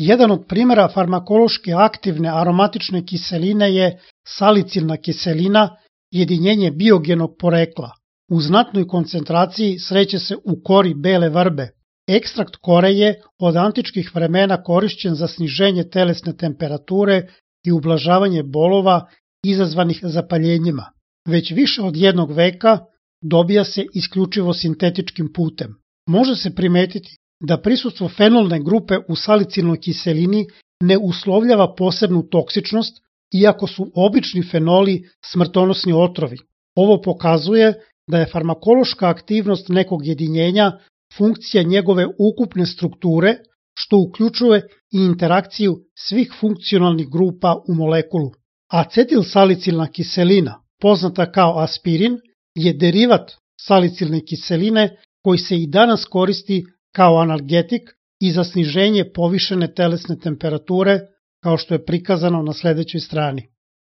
Jedan od primjera farmakološki aktivne aromatične kiseline je salicilna kiselina, jedinjenje biogenog porekla. U znatnoj koncentraciji sreće se u kori bele vrbe. Ekstrakt kore je od antičkih vremena korišćen za sniženje telesne temperature i ublažavanje bolova izazvanih zapaljenjima. Već više od 1 veka dobija se isključivo sintetičkim putem. Može se primetiti da prisustvo fenolne grupe u salicilnoj kiselini ne uslovljava posebnu toksičnost, iako su obični fenoli smrtonosni otrovi. Ovo pokazuje da je farmakološka aktivnost nekog jedinjenja funkcija njegove ukupne strukture, što uključuje i interakciju svih funkcionalnih grupa u molekulu. Acetilsalicilna kiselina, poznata kao aspirin, je derivat salicilne kiseline koji se i danas koristi kao analgetik i za sniženje povišene telesne temperature, kao što je prikazano na sledećoj strani.